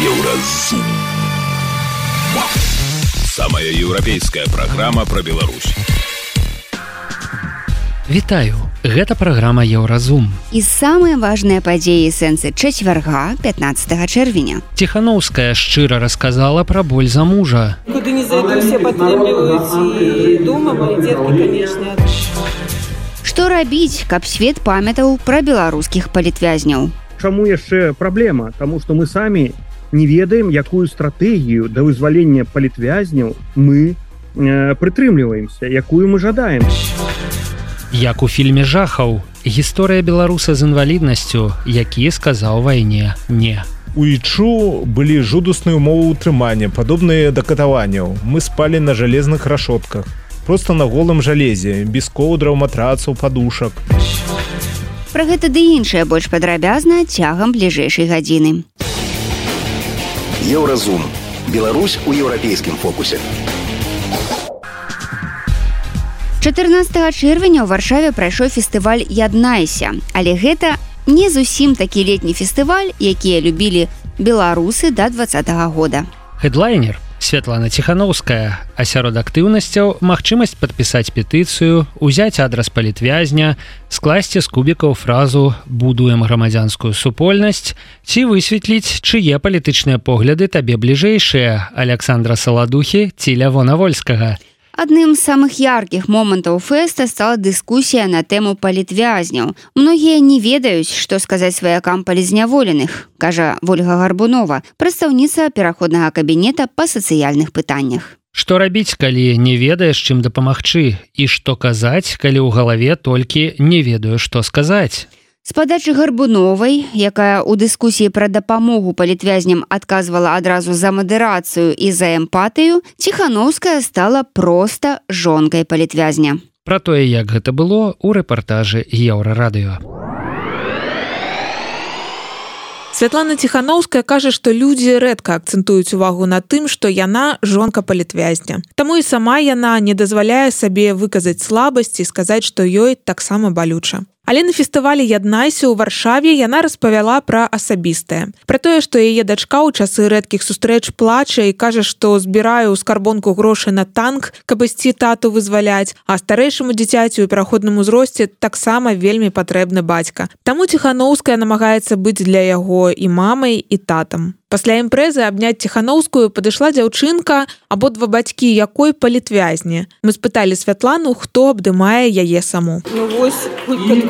Еўразум. Самая еўрапейская праграма пра Беларусь. Вітаю, гэта праграма Еўразум. І самыя важныя падзеі сэнсы чацвярга 15 чэрвеня. Ціханаўская шчыра расказала пра боль за мужа. Куды не зайду, все падтрымліваюць і дома, мои дзеткі, канешне. Што рабіць, каб свет памятаў пра беларускіх палітвязняў? Чаму яшчэ праблема? Таму што мы самі не ведаем, якую стратэгію да вызвалення палітвязняў мы прытрымліваемся, якую мы жадаем. Як у фільме жахаў, гісторыя беларуса з інваліднасцю, які сказаў вайне «не». У ічу былі жудасныя ўмовы ўтрымання, падобныя да катаванняў. Мы спалі на жалезных рашотках, проста на голым жалезе, без коўдраў, матрацаў, падушак. Пра гэта ды іншае больш падрабязна цягам бліжэйшай гадзіны. Еўразум. Беларусь у еўрапейскім фокусе. 14 чэрвеня ў Варшаве прайшоў фестываль «Яднайся». Але гэта не зусім такі летні фестываль, якія любілі беларусы да 2020 года. Хедлайнер Святлана Ціханаўская, а сярод актыўнасцяў магчымасць падпісаць петыцыю, узяць адрас палітвязня, скласці з кубікаў фразу «Будуем грамадзянскую супольнасць» ці высветліць, чые палітычныя погляды табе бліжэйшыя – Аляксандра Саладухі ці Лявона Вольскага. Адным з самых яркіх момантаў фэста стала дыскусія на тэму палітвязняў. Многія не ведаюць, што сказаць сваякам палізняволеных, кажа Вольга Гарбунова, прадстаўніца пераходнага кабінета па сацыяльных пытаннях. Што рабіць, калі не ведаеш, чым дапамагчы? І што казаць, калі ў галаве толькі не ведаю, што сказаць? З падачы Гарбуновай, якая ў дыскусіі пра дапамогу палітвязням адказвала адразу за мадэрацыю і за эмпатыю, Ціханаўская стала проста жонкай палітвязня. Пра тое, як гэта было, у рэпартажы Еўрарадыё. Святлана Ціханаўская кажа, што людзі рэдка акцэнтуюць увагу на тым, што яна жонка палітвязня. Таму і сама яна не дазваляе сабе выказаць слабасць і сказаць, што ёй таксама балюча. Але на фестывалі «Яднайся» ў Варшаве яна распавяла пра асабістае. Пра тое, што яе дачка ў часы рэдкіх сустрэч плача і кажа, што збірае ў скарбонку грошы на танк, каб ісці тату вызваляць, а старэйшаму дзіцяці ў пераходным узросце таксама вельмі патрэбны бацька. Таму Ціханаўская намагаецца быць для яго і мамай, і татам. Пасля імпрэзы абняць Ціханаўскую падышла дзяўчынка, абодва бацькі якой палітвязні. Мы спыталі Святлану, хто абдымае яе саму. Ну вось,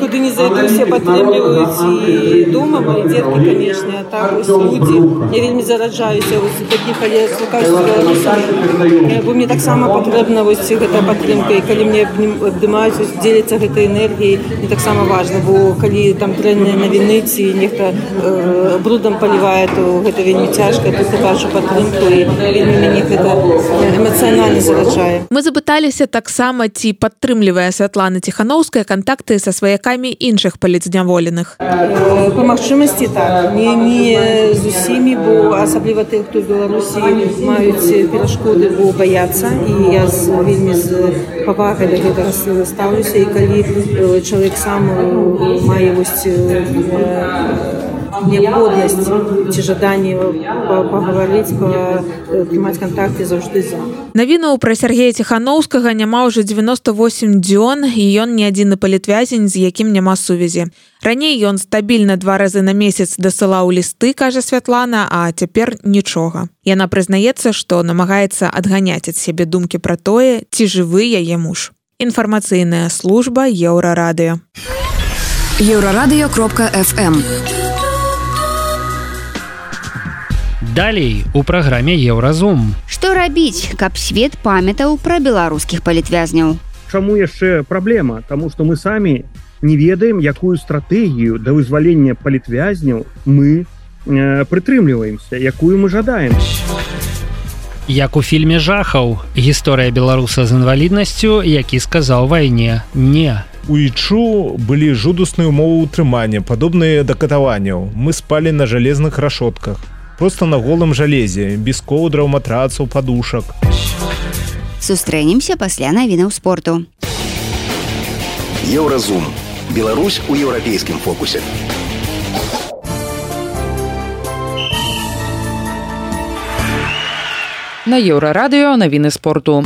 куды не зайду, все падтрымліваюць і дома, мои дзеткі, канешне, а так вось людзі. Я вельмі зараджаюся вось такіх, але слухаюся беларусамі, бо мне таксама патрэбна вось гэта падтрымка, і калі мне абдымаюць, дзеляцца гэтай энергіяй, мне таксама важна, бо калі там дрэнныя навіны ці нехта брудам палівае, то гэта вельмі цяжка, тут я бачу падтрымку і вельмі мяне гэта эмацыянальна зараджае. Мы запыталіся таксама, ці падтрымлівае Святлана Ціханаўская кантакты са сваякамі іншых палітзняволеных. Па магчымасці так, не з усімі, бо асабліва тых, хто в Беларусі маюць перашкоды, бо баяцца, і я вельмі з павагай да гэтага стаўлюся, і калі чалавек сам мае вось неабходнасць ці жаданне пагаварыць, прымаць кантакты, заўжды за. Навінаў пра Сяргея Ціханаўскага няма ўжо 98 дзён, і ён не адзіны палітвязень, з якім няма сувязі. Раней ён стабільна 2 разы на месяц дасылаў лісты, кажа Святлана, а цяпер нічога. Яна прызнаецца, што намагаецца адганяць ад сябе думкі пра тое, ці жывы яе муж. Інфармацыйная служба Еўрарадыё. Еўрарадыё.фм. Далей у праграме Еўразум. Што рабіць, каб свет памятаў пра беларускіх палітвязняў? Чаму яшчэ праблема? Таму што мы самі не ведаем, якую стратэгію да вызвалення палітвязняў мы прытрымліваемся, якую мы жадаем. Як у фільме жахаў, гісторыя беларуса з інваліднасцю, які сказаў вайне «не». У ічу былі жудасныя ўмовы ўтрымання, падобныя да катаванняў. Мы спалі на жалезных рашотках, проста на голым жалезе, без коўдраў, матрацаў, падушак. Сустрэнемся пасля навінаў спорту. Еўразум. Беларусь у еўрапейскім фокусе. На Еўрарадыё навіны спорту.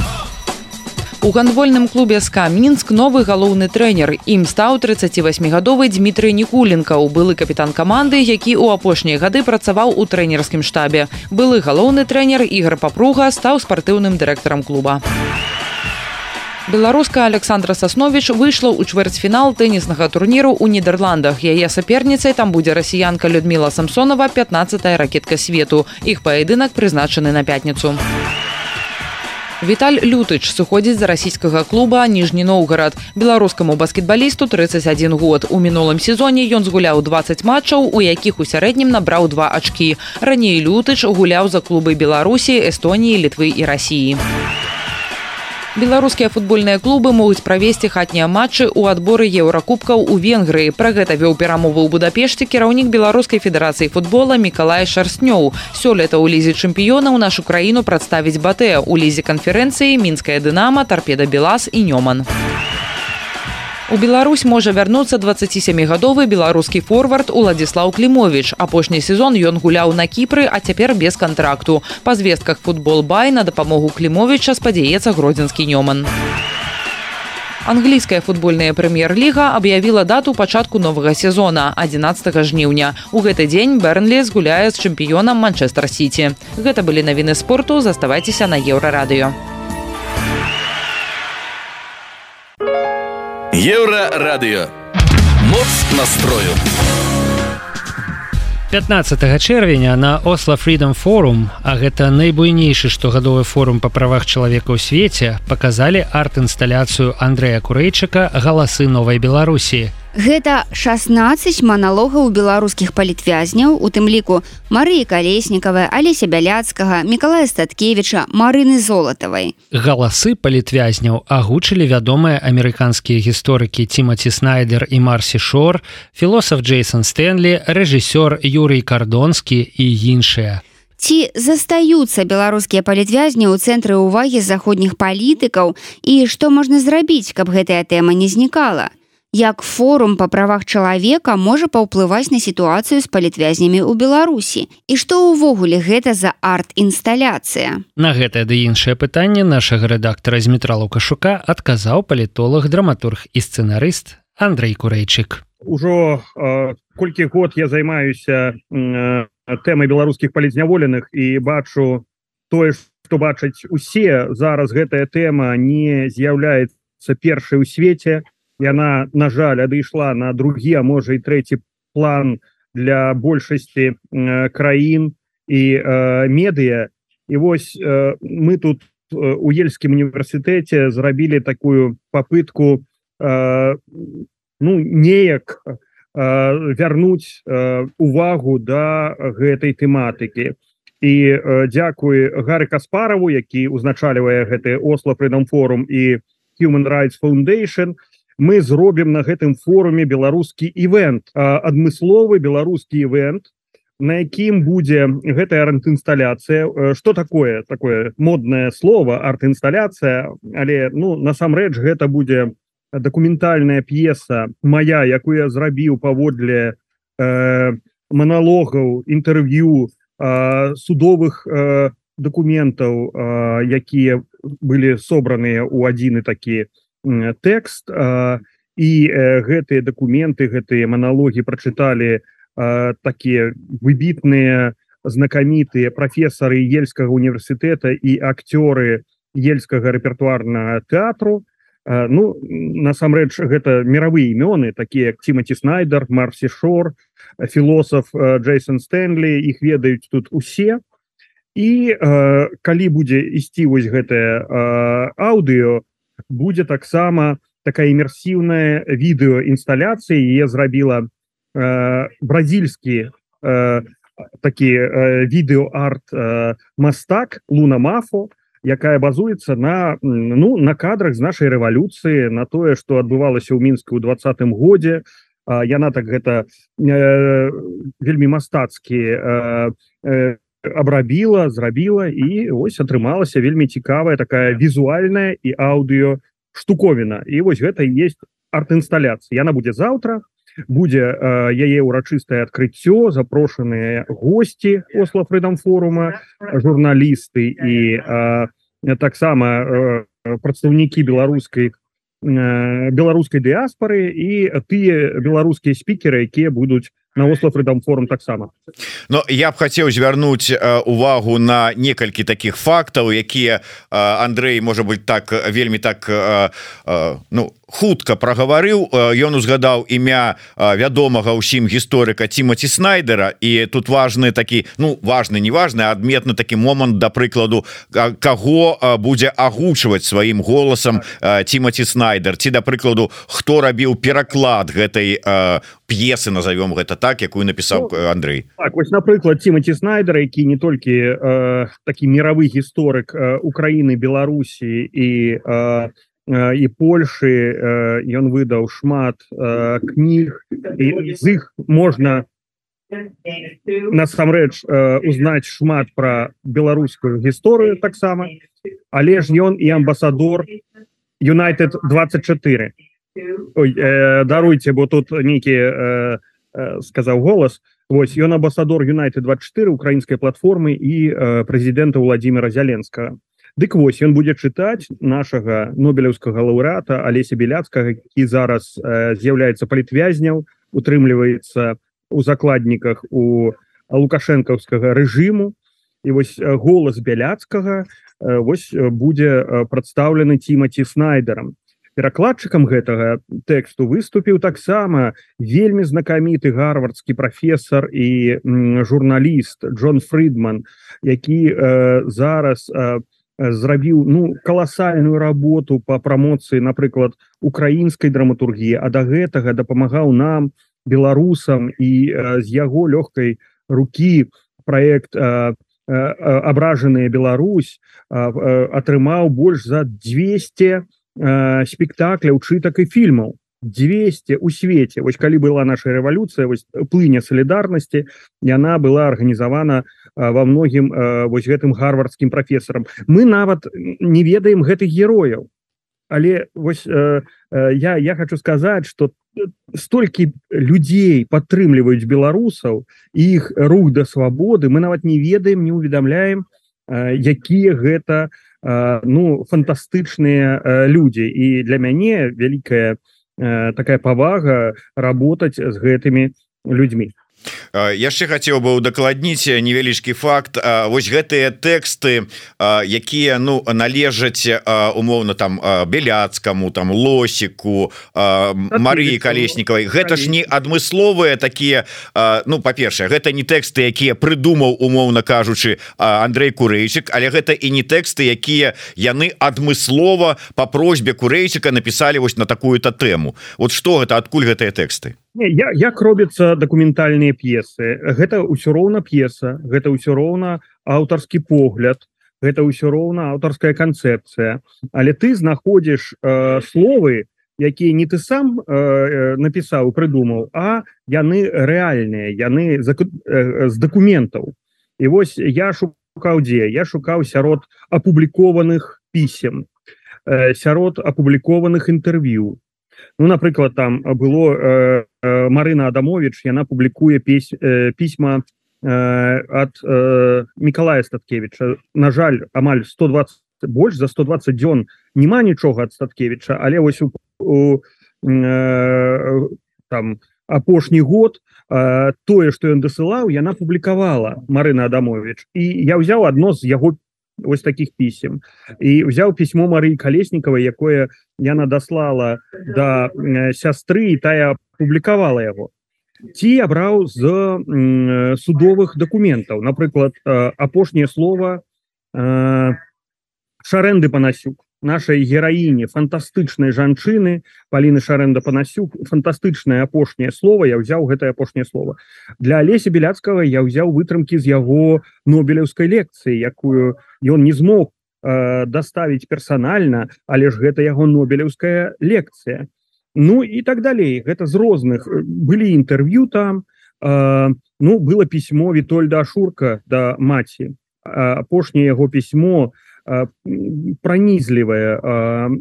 У гандбольным клубе СКА Мінск новы галоўны трэнер. Ім стаў 38гадовы Дмітрый Нікуленкаў, былы капітан каманды, які ў апошнія гады працаваў у трэнерскім штабе. Былы галоўны трэнер Ігор Папруга стаў спартыўным дырэктарам клуба. Беларуска Александра Сасновіч выйшла ў чвэрцьфінал тэніснага турніру ў Нідерландах. Яе саперніцай там будзе расіянка Людміла Самсонова, 15-я ракетка свету. Іх паядынак прызначаны на пятніцу. Віталь Лютыч сыходзіць з расійскага клуба Ніжні Новгарад. Беларускаму баскетбалісту 31 год. У мінулым сезоне ён згуляў 20 матчаў, у якіх у сярэднім набраў 2 ачкі. Раней Лютыч гуляў за клубы Беларусі, Эстоніі, Літвы і Расіі. Беларускія футбольныя клубы могуць правесці хатнія матчы ў адборы еўракубкаў у Венгрыі. Пра гэта вёў перамовы ў Будапешце кіраўнік Беларускай федэрацыі футбола Мікалай Шарстнёў. Сёлета ў лізе чэмпіёнаў нашу краіну прадставіць Батэ. У лізе канферэнцыі Мінская Дынама, Тарпеда Белас і Нёман. У Беларусь можа вярнуцца 27гадовы беларускі форвард Уладзіслаў Клімовіч. Апошні сезон ён гуляў на Кіпры, а цяпер без кантракту. Па звестках «Футбол-бай» на дапамогу Клімовіча спадзяецца гродзенскі Нёман. Англійская футбольная прэм'ер-ліга аб'явіла дату пачатку новага сезона – 11 жніўня. У гэты дзень Бернлі згуляе з чэмпіёнам Манчэстэр-Сіці. Гэта былі навіны спорту, заставайцеся на Еўрарадыё. Еўрарадыё. Моц настрою. 15 чэрвеня на Oslo Freedom Forum, а гэта найбуйнейшы штогадовы форум па правах чалавека ў свеце, паказалі арт-інсталяцыю Андрэя Курэйчыка «Галасы новай Беларусі». Гэта 16 маналогаў беларускіх палітвязняў, у тым ліку Марыі Калеснікавай, Алеся Бяляцкага, Мікалая Статкевіча, Марыны Золатавай. Галасы палітвязняў агучылі вядомыя амерыканскія гісторыкі Тімаці Снайдер і Марсі Шор, філосаф Джейсон Стэнлі, рэжысёр Юрый Кардонскі і іншыя. Ці застаюцца беларускія палітвязні ў цэнтры ўвагі заходніх палітыкаў і што можна зрабіць, каб гэтая тэма не знікала? Як форум па правах чалавека можа паўплываць на сітуацыю з палітвязнямі ў Беларусі? І што ўвогуле гэта за арт-інсталяцыя? На гэтае ды іншае пытанне нашага рэдактара Змітра Лукашука адказаў палітолог, драматург і сцэнарыст Андрэй Курэйчык. Ужо колькі год я займаюся тэмай беларускіх палітзняволеных і бачу тое, што бачаць усе. Зараз гэтая тэма не з'яўляецца першай у свеце. Яна, на жаль, адышла на другі, а можа і трэці план для большасці краін і медыя. І вось мы тут у Ельскім універсітэце зрабілі такую папытку неяк вярнуць увагу да гэтай тэматыкі. І дзякуй Гары Каспараву, які узначальвае гэты Oslo Freedom Forum і Human Rights Foundation, мы зробім на гэтым форуме беларускі івент, адмысловы беларускі івент, на якім будзе гэтая арт-інсталяцыя. Што такое моднае слово арт-інсталяцыя, але насамрэч гэта будзе дакументальная п'еса мая, якую я зрабіў паводле маналогаў, інтэрв'ю, судовых дакументаў, якія былі собраныя ў адзіны такі тэкст, і гэтыя дакументы, гэтыя маналогі прачыталі такія выбітныя, знакамітыя прафесары Ельскага універсітэта і акцёры Ельскага рэпертуарнага тэатру. Насамрэч, гэта мировыя імёны, такія як Тімаці Снайдер, Марсі Шор, філосаф Джейсон Стэнлі, іх ведаюць тут усе. І калі будзе ісці вось гэтае аўдыо, будзе таксама такая імерсіўная відэоінсталяцыя. Яе зрабіла бразільскі такі відэоарт мастак Луна Мафо, якая базуецца на кадрах з нашай рэвалюцыі, на тое, што адбывалася ў Мінску ў 20-м годзе. Яна так гэта вельмі мастацкі абрабіла, зрабіла, і ось атрымалася вельмі цікавая такая візуальная і аўдыё штуковіна. І вось гэта і есть арт-інсталяцыя. Яна будзе заўтра, будзе яе ўрачыстае адкрыццё, запрошаныя госці Осло Freedom форума, журналісты і таксама прадстаўнікі беларускай дыаспары і тыя беларускія спікеры, якія будуць на Осло Freedom форум таксама. Но я б хацеў звярнуць увагу на некалькі такіх фактаў, якія Андрэй, можа быть, так вельмі так хутка прагаварыў. Ён узгадаў імя вядомага ўсім гісторыка Тимоті Снайдера, і тут важны такі, важны, не важны, а адметны такі момант, да прыкладу, каго будзе агучваць сваім голасам Тимоті Снайдер, ці, да прыкладу, хто рабіў пераклад гэтай п'есы, назовём гэта так, якую напісаў Андрэй. Так, вось, напрыклад, Тимоті Снайдер, які не толькі такі мировы гісторык Украіны, Беларусі і Польшы, ён выдаў шмат кніг, і з іх можна насамрэч узнаць шмат пра беларускую гісторыю таксама, але ж ён і амбасадор United 24. Ой, даруйце, бо тут нейкі сказаў голас. Вось, ён амбасадор United 24 украінскай платформы і прэзідэнта Владимира Зеленскага. Дык вось, ён будзе чытаць нашага нобелеўскага лаўрэата Алеся Беляцкага, які зараз з'яўляецца палітвязняў, утрымліваецца у закладніках у лукашэнкаўскага рэжыму. І вось голас Беляцкага вось будзе прадстаўлены Тимоті Снайдерам. Перакладчыкам гэтага тэксту выступіў таксама вельмі знакаміты гарвардскі прафесор і журналіст Джон Фридман, які зараз зрабіў каласальную работу по прамоцыі, напрыклад, украінскай драматургіі, а да гэтага дапамагаў нам, беларусам, і з яго лёгкай рукі праект «Абражаная Беларусь» атрымаў больш за 200 спектакляў, чытак і фільмаў. 200 у свеце. Вось калі была наша рэвалюцыя, вось плыня салідарнасці, яна была арганізавана во многім вось гэтым гарвардскім прафесарам. Мы нават не ведаем гэтых герояў. Але вось я хочу сказаць, што столькі людзей падтрымліваюць беларусаў і іх рух да свабоды, мы нават не ведаем, не уведамляем, якія гэта фантастычныя людзі. І для мяне вялікая такая павага работаць з гэтымі людзьмі. Яшчэ хацеў бы удакладніць невялічкі факт. Вось гэтыя тэксты, якія належаць умоўна там Беляцкаму, там Лосіку, Марыі Калеснікавай, гэта ж не адмысловыя такія, па-першае, гэта не тэксты, якія прыдумаў, умоўна кажучы, Андрэй Курэйчык, але гэта і не тэксты, якія яны адмыслова па просьбе Курэйчыка напісалі вось на такую-то тэму. Вот што гэта, адкуль гэтыя тэксты? Як робяцца дакументальныя п'есы? Гэта ўсё роўна п'еса, гэта ўсё роўна аўтарскі погляд, гэта ўсё роўна аўтарская канцэпцыя. Але ты знаходзіш словы, якія не ты сам напісаў, прыдумаў, а яны рэальныя, яны з дакументаў. І вось я шукаў дзе? Я шукаў сярод апублікованых пісем, сярод апублікованых інтэрв'ю. Напрыклад, там было Марына Адамович, яна публікуе пісьма ад Мікалая Статкевіча. На жаль, амаль 120, больш за 120 дзён няма нічога ад Статкевіча, але вось там апошні год тое, што ён дасылаў, яна публікавала, Марына Адамович. І я ўзяў адно з яго вось таких пісем і ўзяў пісьмо Марыі Калеснікавай, якое яна даслала да сястры, і тая публікавала яго. Ці абраў з судовых дакументаў, напрыклад, апошняе слова Шарэнды Панасюк, нашай гераіне, фантастычнай жанчыны Паліны Шарэнда Панасюк, фантастычнае апошняе слово, я ўзяў гэтае апошняе слово. Для Алеся Беляцкага я ўзяў вытрымкі з яго нобелеўскай лекцыі, якую ён не змог даставіць персанальна, але ж гэта яго нобелеўская лекцыя. І так далей. Гэта з розных. Былі інтэрв'ю там, было пісьмо Вітольда Ашурка да маці. Апошняе яго пісьмо пранізлівае,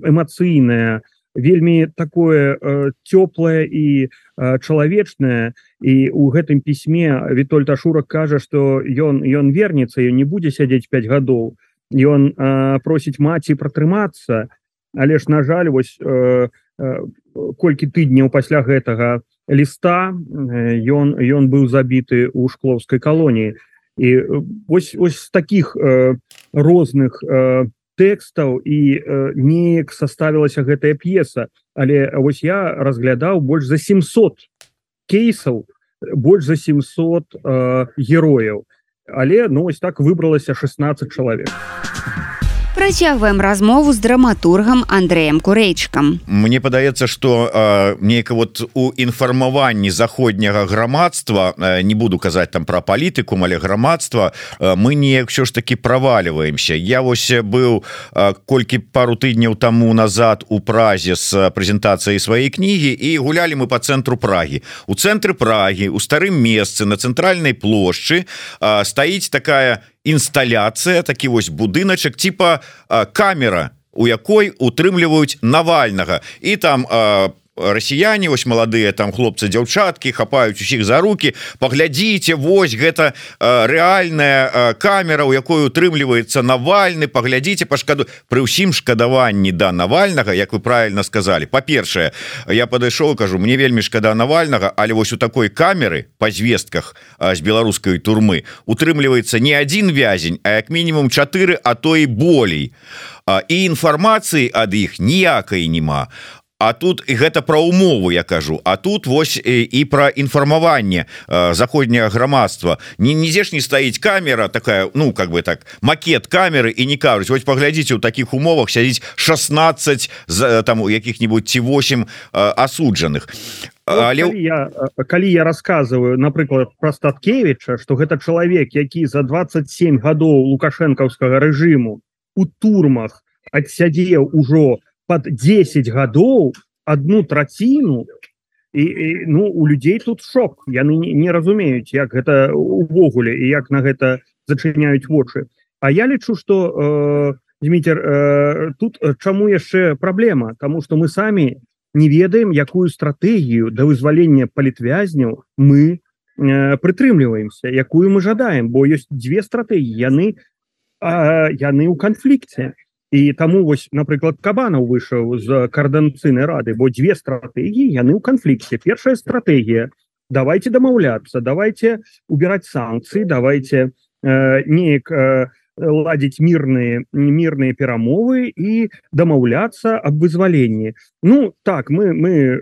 эмацыйнае, вельмі такое цёплае і чалавечная, і у гэтым пісьме Вітольд Ашурак кажа, што ён вернецца, ён не будзе сядзець 5 гадоў, ён просіць маці пратрымацца, але ж на жаль, вось колькі тыдняў пасля гэтага ліста ён быў забіты ў шклоўскай калоніі. І вось з такіх розных тэкстаў і неяк составілася гэтая п'еса, але вось я разглядаў больш за 700 кейсаў, больш за 700 герояў, але вось так выбралася 16 чалавек. Працягваем размову з драматургам Андрэем Курэйчыкам. Мне падаецца, што нейка вот у інфармаванні заходняга грамадства, не буду казаць там пра палітыкум, але грамадства, мы неяк ўсё ж таки правальваемся. Я вось быў пару тыдняў таму назад у Празе з прэзентацыяй сваёй кнігі, і гулялі мы по цэнтру Прагі. У цэнтры Прагі, у старым месцы на цэнтральнай плошчы стаіць такая інсталяцыя, такі вось будыначак типа камера, у якой утрымліваюць Навальнага, і там расіяне, вось маладыя там хлопцы, дзяўчаткі хапаюць усіх за руки. Паглядзіце, вось гэта рэальная камера, у якой утрымліваецца Навальны, паглядзіце, пашкаду. Пры ўсім шкадаванні да Навальнага, як вы правильно сказали, па-першае, я падышоў, кажу, мне вельмі шкада Навальнага, але вось у такой камеры па звестках з беларускай турмы утрымліваецца не адзін вязень, а як мінімум 4, а то і болей, і інфармацыі ад іх ніякай нема. А тут і гэта пра умову я кажу, а тут вось і пра інфармаванне заходняга грамадства. Нідзе ж не стаіць камера такая, ну как бы так, макет камеры, і не кажуць, вось паглядзіце, у такіх умовах сядзіць 16 там якіх-нибудь ці 8 асуджаных. Але калі я рассказываю, напрыклад, пра Статкевіча, што гэта чалавек, які за 27 гадоў лукашэнкаўскага рэжыму у турмах адсядзеў ужо под 10 гадоў, 1/3, і у людзей тут шок. Яны не разумеюць, як гэта увогуле і як на гэта зачыняюць вочы. А я лічу, што, Дмітр, тут чаму яшчэ праблема? Таму што мы самі не ведаем, якую стратэгію да вызвалення палітвязняў мы прытрымліваемся, якую мы жадаем, бо ёсць две стратэгіі, яны ў канфлікце. І таму вось, напрыклад, Кабанаў выйшаў з каардынацыйнай рады, бо две стратэгіі, яны ў канфлікце. Першая стратэгія, давайте дамаўляцца, давайте убирать санкцыі, давайте неяк ладзіць мірныя перамовы і дамаўляцца аб вызваленні. Ну, так, мы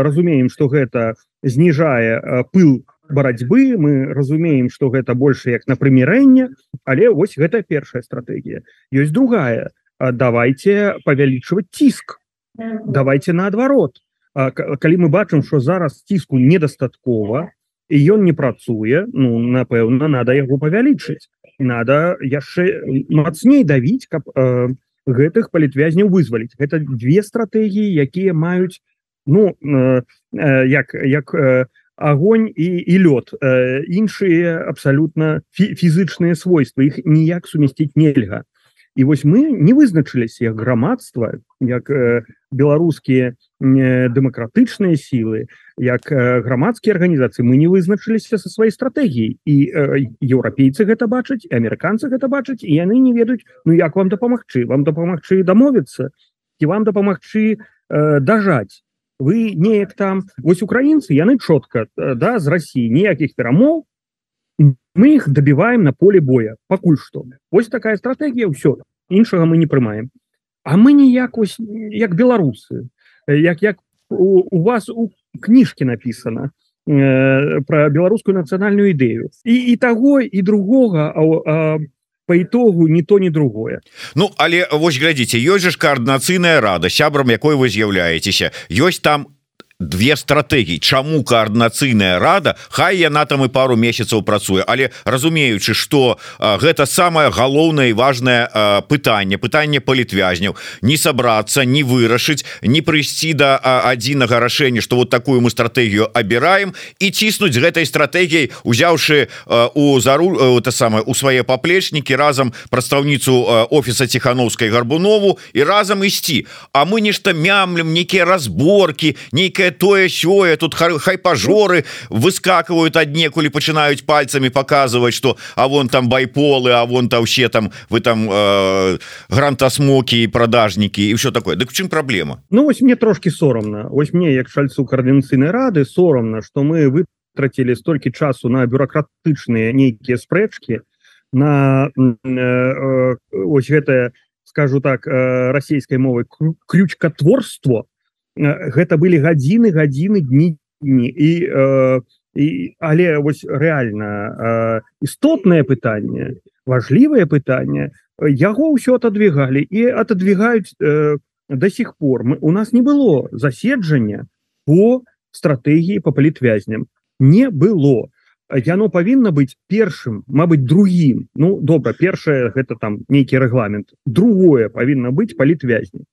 разумеем, што гэта зніжае пыл барацьбы, мы разумеем, што гэта больш як на прымірэнне, але вось гэта першая стратэгія. Ёсць другая. Давайте павялічваць ціск, давайте наадварот. Калі мы бачым, што зараз ціску недастаткова і ён не працуе, ну, напэўна, надо яго павялічыць, надо яшчэ мацней давіць, каб гэтых палітвязняў вызваліць. Гэта две стратэгіі, якія маюць, ну, як агонь і лёд, іншыя абсалютна фізычныя свойствы, іх ніяк сумясціць нельга. І вось мы не вызначыліся як грамадства, як беларускія дэмакратычныя сілы, як грамадскія арганізацыі, мы не вызначыліся са сваёй стратэгіяй. І еўрапейцы гэта бачаць, і амерыканцы гэта бачаць, і яны не ведаюць, ну як вам дапамагчы? Вам дапамагчы дамовіцца? Ці вам дапамагчы дажаць? Вы неяк там... Вось украінцы, яны чётка, да, з Расіі, ніякіх перамоў, мы их добиваем на поле боя, пакуль што. Вось такая стратегія, ўсё, іншага мы не прымаем. А мы ніяк, ось, як беларусы, як у вас у кніжкі написано про беларускую нацыянальную ідэю. І таго, і другога, по итогу ни то, ни другое. Ну, але вось глядзіце, ёсць же каардынацыйная рада, сябрам якой вы з'яўляецеся. Ёсць там две стратэгіі. Чаму каардынацыйная рада, хай яна там і пару месяцаў працуе, але разумеючы, што гэта самае галоўнае і важнае пытанне палітвязняў, не сабрацца, не вырашыць, не прыйсці да адзінага рашэння, што вот такую мы стратэгію абіраем, і ціснуць гэтай стратэгіяй, узяўшы у свае паплечнікі разам прадстаўніцу офіса Ціхановскай Гарбунову і разам ісці. А мы нешта мямлем, нейкія разборкі, нейкая тое сёе, тут хайпажоры выскакивают аднекуль, пачынаюць пальцами показывать, что а вон там байполы, а вон там все там вы там грантасмоки и продажники и все такое. Дык в чым проблема? Ну вось мне трошки соромно, вось мне як чальцу координацыйнай рады соромно, что мы вытратили столькі часу на бюрократычныя нейкія спрэчки, на ось гэтае, скажу так, расійскай мовай крючкатворство. Гэта былі гадзіны, дні і але вось рэальна істотнае пытанне, важлівае пытанне, яго ўсё отодвигали і отодвигаюць до сих пор. У нас не было заседжання по стратэгіі по палітвязням, не было. Яно павінна быць першым, мабыць, другім. Ну добра, першае гэта там нейкі рэгламент, другое павінна быць палітвязні.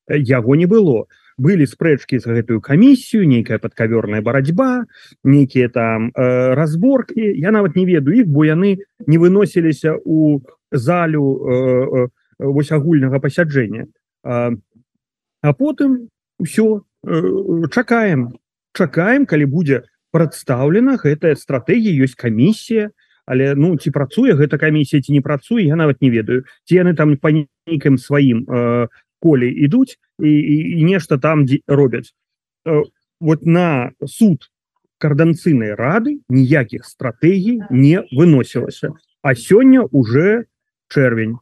Яго не было. Былі спрэчкі за гэтую камісію, нейкая падкаверная барацьба, нейкія там разборкі. Я нават не ведаю іх, бо яны не выносіліся у залю вось агульнага пасяджэння. А потым ўсё, чакаем, калі будзе прадстаўлена гэтая стратэгія, ёсць камісія, але ну ці працуе гэта камісія, ці не працуе, я нават не ведаю. Ці яны там па нейкім сваім коле ідуць і нешта там робяць. Вот на суд координацыйнай рады ніякіх стратэгій не выносілася. А сёння уже чэрвень.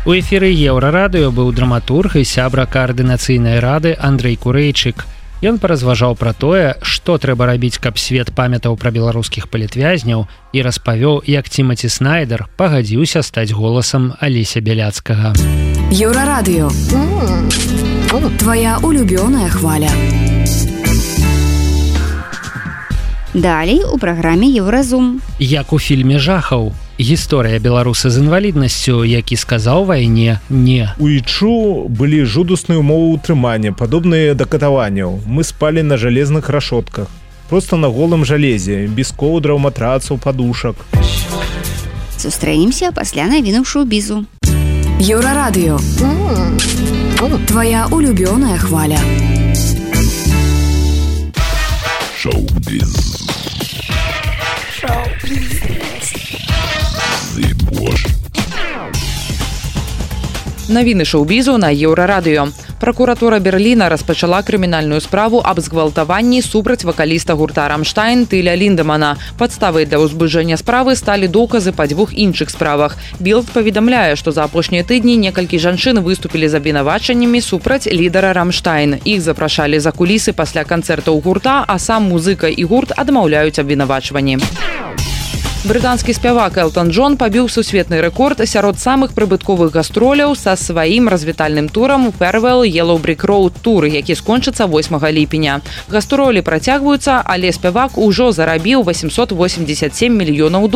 У эфіры Еўрарадыё быў драматург і сябра координацыйнай рады Андрэй Курэйчык. Ён паразважаў пра тое, што трэба рабіць, каб свет памятаў пра беларускіх палітвязняў і распавёў, як Тимати Снайдер пагадзіўся стаць голасам Алеся Бяляцкага. Еўрарадыё. Твоя улюбёная хваля. Далей у праграме Еўразум. Як у фільме жахаў. Гісторыя беларуса з інваліднасцю, які сказаў вайне не. У ічу былі жудасныя ўмовы ўтрымання, падобныя да катаванняў. Мы спалі на жалезных рашотках. Проста на голым жалезе, без коўдраў, матрацаў, падушак. Сустрэнемся пасля навінаў шоу-бізу. Еўрарадыё. Твоя улюбёная хваля. Шоу-біз. Навіны шоу-бізу на Еўрарадыё. Пракуратура Берліна распачала крымінальную справу аб згвалтаванні супраць вакаліста гурта «Рамштайн» Тыля Ліндемана. Падставай для ўзбуджэння справы сталі доказы па дзвюх іншых справах. Білд паведамляе, што за апошнія тыдні некалькі жанчын выступілі з абвінавачаннямі супраць лідара «Рамштайн». Іх запрашалі за кулісы пасля канцэртаў гурта, а сам музыка і гурт адмаўляюць абвінавачванні. Брытанскі спявак Элтон Джон пабіў сусветны рэкорд сярод самых прыбытковых гастроляў са сваім развітальным турам Farewell Yellow Brick Road Tour, які скончыцца 8 ліпеня. Гастролі працягваюцца, але спявак ужо зарабіў $887 мільёнаў.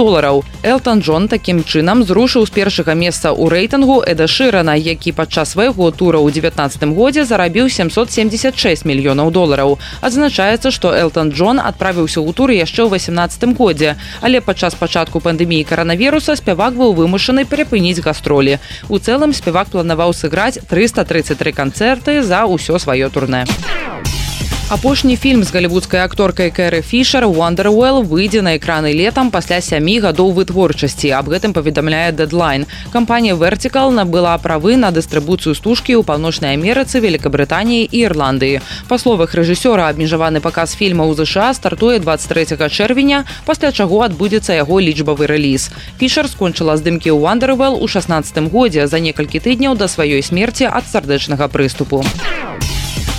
Элтон Джон такім чынам зрушыў з першага месца ў рэйтынгу Эда Шырана, які падчас свайго тура ў 19 годзе зарабіў $776 мільёнаў. Адзначаецца, што Элтон Джон адправіўся ў тур яшчэ ў 18 годзе, але падчас пачатку пандэміі каранавіруса спявак быў вымушаны перапыніць гастролі. У цэлым спявак планаваў сыграць 333 канцэрты за ўсё сваё турнэ. Апошні фільм з галівудскай акторкай Кэры Фішер «Wonderwell» выйдзе на экраны летам пасля 7 гадоў вытворчасці. Аб гэтым паведамляе Deadline. Кампанія Vertical набыла правы на дыстрыбуцыю стужкі ў Паўночнай Амерыцы, Великабрытаніі і Ірландыі. Па словах рэжысёра, абмежаваны паказ фільма ў ЗША стартуе 23 чэрвеня, пасля чаго адбудзецца яго лічбавы рэліз. Фішер скончыла здымкі ў «Wonderwell» у 16 годзе за некалькі тыдняў да сваёй смерці ад сардэчнага прыступу.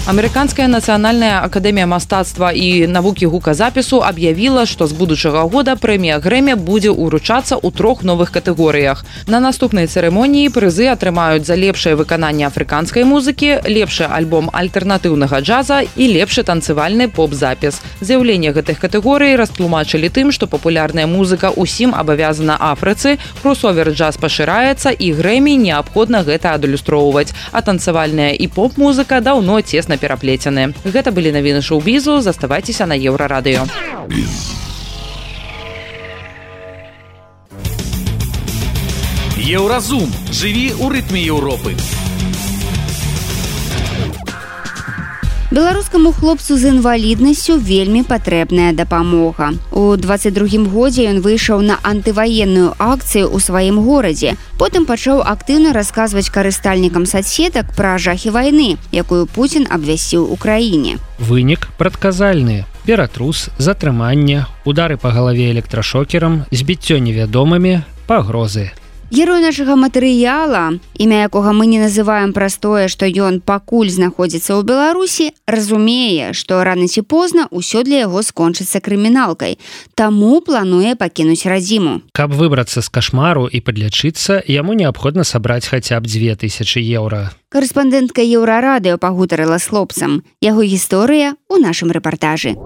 Амерыканская нацыянальная акадэмія мастацтва і навукі гуказапісу аб'явіла, што з будучага года прэмія Грэмі будзе ўручацца ў 3 новых катэгорыях. На наступнай цырымоніі прызы атрымаюць за лепшае выкананне афрыканскай музыкі, лепшы альбом альтэрнатыўнага джаза і лепшы танцывальны поп-запіс. З'яўленне гэтых катэгорый растлумачылі тым, што папулярная музыка ўсім абавязана Афрыцы, кросовер-джаз пашыраецца і Грэмі неабходна гэта адлюстроўваць, а танцавальная і поп-музыка даўно цесна пераплецены. Гэта былі навіны шоу-бізу, заставайцеся на Еўрарадыё. Еўразум. Жыві ў рытме Еўропы. Беларускаму хлопцу з інваліднасцю вельмі патрэбная дапамога. У 22-м годзе ён выйшаў на антываенную акцыю ў сваім горадзе. Потым пачаў актыўна расказваць карыстальнікам соцсетак пра жахі вайны, якую Пуцін абвясціў у краіне. Вынік прадказальны. Ператрус, затрыманне, удары па галаве электрашокерам, збіццё невядомымі, пагрозы. Герой нашага матэрыяла, імя якога мы не называем праз тое, што ён пакуль знаходзіцца ў Беларусі, разумее, што рана ці позна ўсё для яго скончыцца крыміналкай, таму плануе пакінуць радзіму. Каб выбрацца з кашмару і падлячыцца, яму неабходна сабраць хаця б 2000 еўра. Карэспандэнтка Еўрарадыё пагутарыла з хлопцам. Яго гісторыя ў нашым рэпартажы.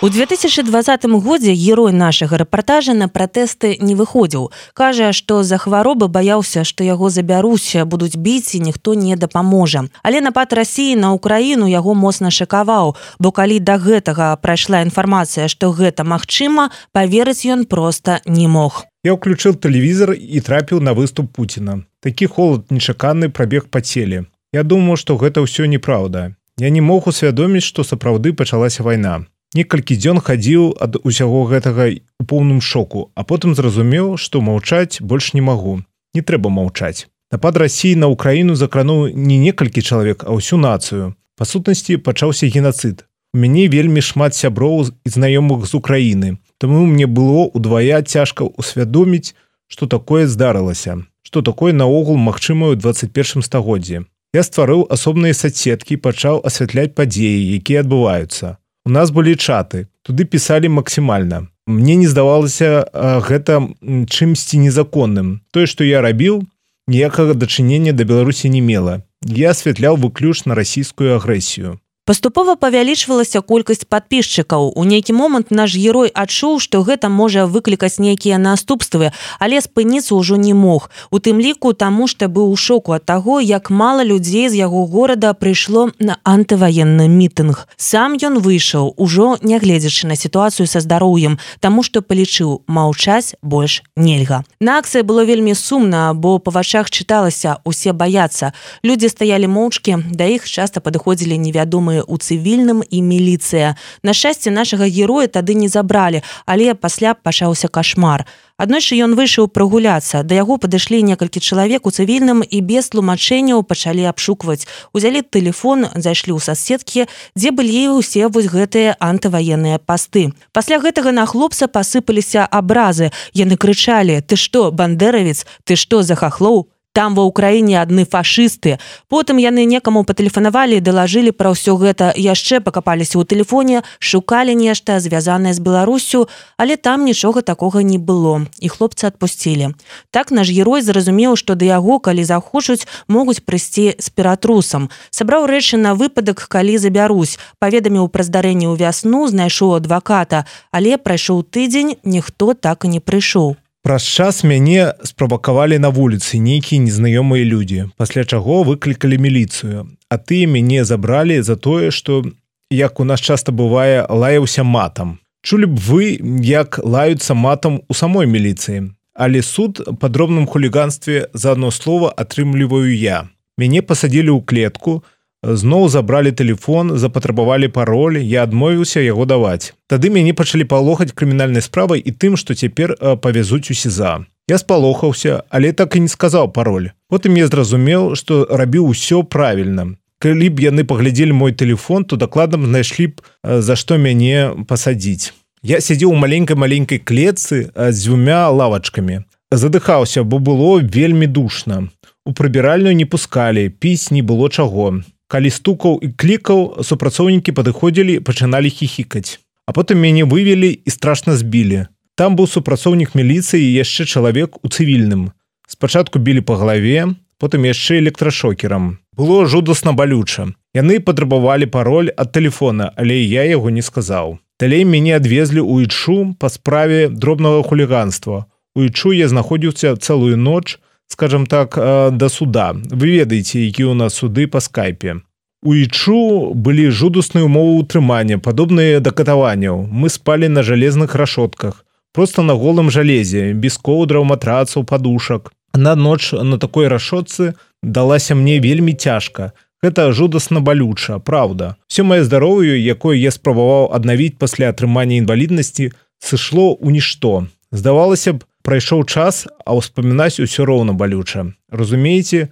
У 2020 годзе герой нашага рэпартажа на пратэсты не выходзіў. Кажа, што за хваробы баяўся, што яго забяруць, будуць біць і ніхто не дапаможа. Але напад Расіі на Украіну яго моцна шакаваў, бо калі да гэтага прайшла інфармацыя, што гэта магчыма, паверыць ён проста не мог. Я ўключыў тэлевізор і трапіў на выступ Пуціна. Такі холад нечаканы прабег па целе. Я думаў, што гэта ўсё неправда. Я не мог усвядоміць, што сапраўды пачалася вайна. Некалькі дзён хадзіў ад усяго гэтага у поўным шоку, а потым зразумеў, што маўчаць больш не магу. Не трэба маўчаць. Напад Расіі на Украіну закрануў не некалькі чалавек, а ўсю нацыю. Па сутнасці пачаўся генацыд. У мяне вельмі шмат сяброў і знаёмых з Украіны, таму мне было ўдвая цяжка ўсвядоміць, што такое здарылася, што такое наогул магчымае ў 21 стагоддзі. Я стварыў асобныя соцсеткі, пачаў асвятляць падзеі, якія адбываюцца. У нас былі чаты, туды пісалі максімальна. Мне не здавалася гэта чымсьці незаконным. Тое, што я рабіў, ніякага дачынення да Беларусі не мела. Я асвятляў выключна расійскую агрэсію. Паступова павялічвалася колькасць падпісчыкаў. У нейкі момант наш герой адчуў, што гэта можа выклікаць нейкія наступствы, але спыніцца ўжо не мог. У тым ліку таму, што быў у шоку ад таго, як мала людзей з яго горада прыйшло на антываенны мітынг. Сам ён выйшаў, ужо не гледзячы на сітуацыю са здароўем, таму што палічыў, маўчаць больш нельга. На акцыі было вельмі сумна, бо па вачах чыталася, усе баяцца. Людзі стаялі моўчкі, да іх часта падыходзілі невядомыя у цывільным і міліцыя. На шчасце, нашага героя тады не забралі, але пасля пачаўся кашмар. Аднойчы ён выйшаў прагуляцца. Да яго падышлі некалькі чалавек у цывільным і без тлумачэнняў пачалі абшукваць. Узялі тэлефон, зайшлі ў соцсеткі, дзе былі ўсе вось гэтыя антываенныя пасты. Пасля гэтага на хлопца пасыпаліся абразы. Яны крычалі: «Ты што, бандеравец? Ты што, за хахлоў? Там ва ўкраіне адны фашысты». Потым яны некаму патэлефанавалі і далажылі пра ўсё гэта, яшчэ пакапаліся ў тэлефоне, шукалі нешта, звязанае з Беларуссю, але там нічога такога не было, і хлопца адпусцілі. Так наш герой зразумеў, што да яго, калі захочуць, могуць прыйсці з ператрусам. Сабраў рэчы на выпадак, калі забярусь, паведаміў пра здарэнне ў вясну, знайшоў адваката, але прайшоў тыдзень, ніхто так і не прыйшоў. Праз час мяне справакавалі на вуліцы нейкія незнаёмыя людзі, пасля чаго выклікалі міліцыю. А тыя мяне забралі за тое, што, як у нас часта бывае, лаяўся матам. Чулі б вы, як лаюцца матам у самой міліцыі. Але суд па дробным хуліганстве за адно слова атрымліваю я. Мяне пасадзілі ў клетку, зноў забралі тэлефон, запатрабавалі пароль, я адмовіўся яго даваць. Тады мяне пачалі палохаць крымінальнай справай і тым, што цяпер павязуць у СІЗА. Я спалохаўся, але так і не сказаў пароль. Потым я зразумеў, што рабіў усё правільна. Калі б яны паглядзелі мой тэлефон, то дакладна б знайшлі б, за што мяне пасадзіць. Я сядзеў у маленькай клетцы з 2 лавачкамі. Задыхаўся, бо было вельмі душна. У прыбіральную не пускалі, піць не было чаго. Калі стукаў і клікаў, супрацоўнікі падыходзілі, пачыналі хіхікаць. А потым мяне вывелі і страшна збілі. Там быў супрацоўнік міліцыі і яшчэ чалавек у цывільным. Спачатку білі па галаве, потым яшчэ электрашокерам. Было жудасна балюча. Яны патрабавалі пароль ад тэлефона, але я яго не сказаў. Далей мяне адвезлі ў Ічу па справе дробнага хуліганства. У Ічу я знаходзіўся цэлую ноч, скажем так, да суда. Вы ведаеце, які ў нас суды па скайпе. У Ічу былі жудасныя ўмовы ўтрымання, падобныя да катаванняў. Мы спалі на жалезных рашотках, проста на голым жалезе, без коўдраў, матрацаў, падушак. На ноч на такой рашотцы далася мне вельмі цяжка. Гэта жудасна балюча, праўда. Все маё здароўе, якое я спрабаваў аднавіць пасля атрымання інваліднасці, сышло ў нішто. Здавалася б, прайшоў час, а ўспамінаць усё роўна балюча. Разумееце,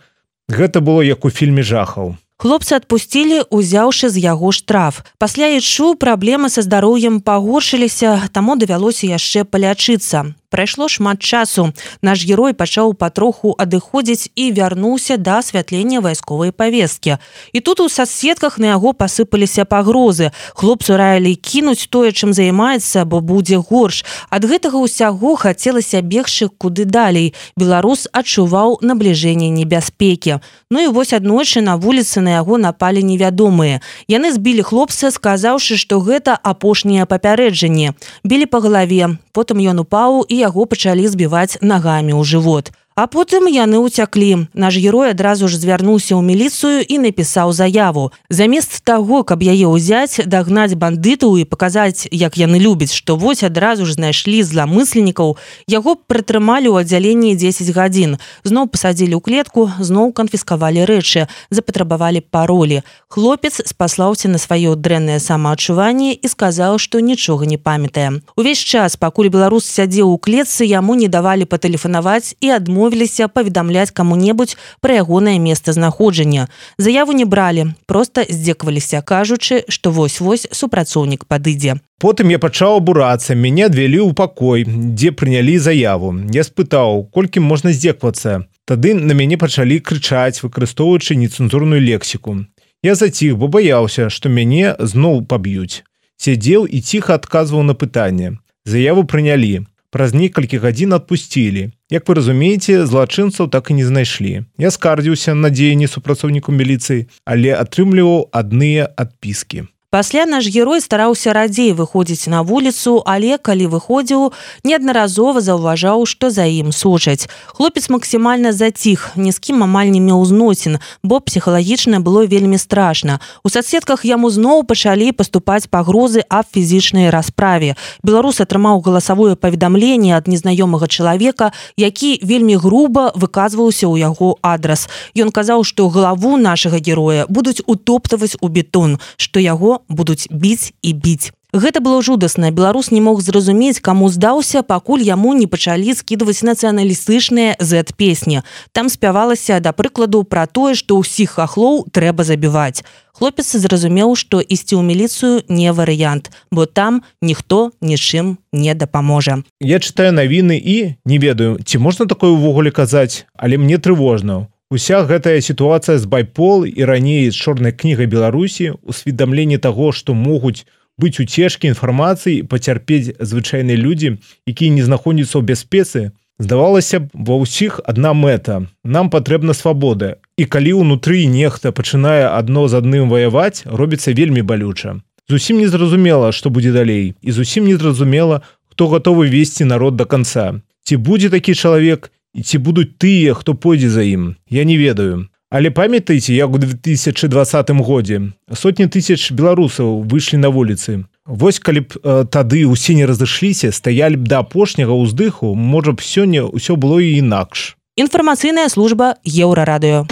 гэта было як у фільме жахаў. Хлопца адпусцілі, узяўшы з яго штраф. Пасля ічу праблемы са здароўем пагоршыліся, таму давялося яшчэ палячыцца. Прайшло шмат часу. Наш герой пачаў патроху адыходзіць і вярнуўся да асвятлення вайсковай павесткі. І тут у соцсетках на яго пасыпаліся пагрозы. Хлопцу раілі кінуць тое, чым займаецца, бо будзе горш. Ад гэтага ўсяго хацелася бегчы куды далей. Беларус адчуваў набліжэнне небяспекі. Ну і вось аднойчы на вуліцы на яго напалі невядомыя. Яны збілі хлопца, сказаўшы, што гэта апошняе папярэджанне. Білі па галаве, потым ён упаў і яго пачалі збіваць нагамі ў жывот. А потым яны ўцяклі. Наш герой адразу ж звярнуўся ў міліцыю і напісаў заяву. Замест таго, каб яе ўзяць, дагнаць бандытаў і паказаць, як яны любяць, што вось адразу ж знайшлі зламысленнікаў, яго прытрымалі ў аддзяленні 10 гадзін. Зноў пасадзілі ў клетку, зноў канфіскавалі рэчы, запатрабавалі паролі. Хлопец спаслаўся на сваё дрэннае самаадчуванне і сказаў, што нічога не памятае. Увесь час, пакуль беларус сядзеў у клетцы, яму не давалі патэлефанаваць і адмовіліся паведамляць каму-небудзь пра ягонае месцазнаходжання. Заяву не бралі, проста здзекаваліся, кажучы, што вось-вось супрацоўнік падыдзе. Потым я пачаў абурацца, мяне адвялі ў пакой, дзе прынялі заяву. Я спытаў, колькі можна здзеквацца. Тады на мяне пачалі крычаць, выкарыстоўваючы нецэнзурную лексіку. Я заціх, бо баяўся, што мяне зноў паб'юць. Сядзеў і ціха адказваў на пытанне. Заяву прынялі. Праз некалькі гадзін адпусцілі. Як вы разумееце, злачынцаў так і не знайшлі. Я скардзіўся на дзеянні супрацоўніку міліцыі, але атрымліваў адныя адпіскі. Пасля наш герой стараўся радзей выходзіць на вуліцу, але калі выходзіў, неаднаразова заўважаў, што за ім сочаць. Хлопец максімальна заціх, ні з кім амаль не меў зносін, бо псіхалагічна было вельмі страшна. У соцсетках яму зноў пачалі паступаць пагрозы аб фізічнай расправе. Беларус атрымаў галасавое паведамленне ад незнаёмага чалавека, які вельмі груба выказваўся ў яго адрас. Ён казаў, што галаву нашага героя будуць утоптаваць у бетон, што яго будуць біць і біць. Гэта было жудасна. Беларус не мог зразумець, каму здаўся, пакуль яму не пачалі скідваць нацыяналістычныя Z-песні. Там спявалася, да прыкладу, пра тое, што ўсіх хахлоў трэба забіваць. Хлопец зразумеў, што ісці ў міліцыю не варыянт, бо там ніхто нічым не дапаможа. Я чытаю навіны і не ведаю, ці можна такое ўвогуле казаць, але мне трывожна. Уся гэтая сітуацыя з байпол і раней з чорнай кнігай Беларусі, усведамленне таго, што могуць быць уцежкі інфармацыі, пацярпець звычайныя людзі, якія не знаходзяцца ў бяспецы, здавалася б, ва ўсіх адна мэта. Нам патрэбна свабода. І калі ўнутры нехта пачынае адно з адным ваяваць, робіцца вельмі балюча. Зусім незразумела, што будзе далей, і зусім незразумела, хто гатовы весці народ да канца. Ці будзе такі чалавек, і ці будуць тыя, хто пойдзе за ім, я не ведаю. Але памятаеце, як у 2020 годзе сотні тысяч беларусаў выйшлі на вуліцы. Вось калі б тады ўсе не разышліся, стаялі б да апошняга ўздыху, можа б сёння ўсё было і інакш. Інфармацыйная служба Еўрарадыё.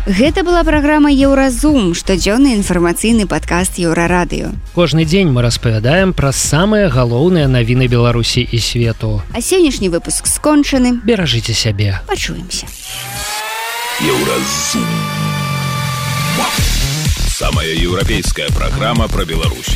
Гэта была праграма Еўразум, штодзённы інфармацыйны падкаст Еўрарадыё. Кожны дзень мы распавядаем пра самыя галоўныя навіны Беларусі і свету. А сённяшні выпуск скончаны. Беражыце сябе. Пачуемся. Еўразум. Самая еўрапейская праграма пра Беларусь.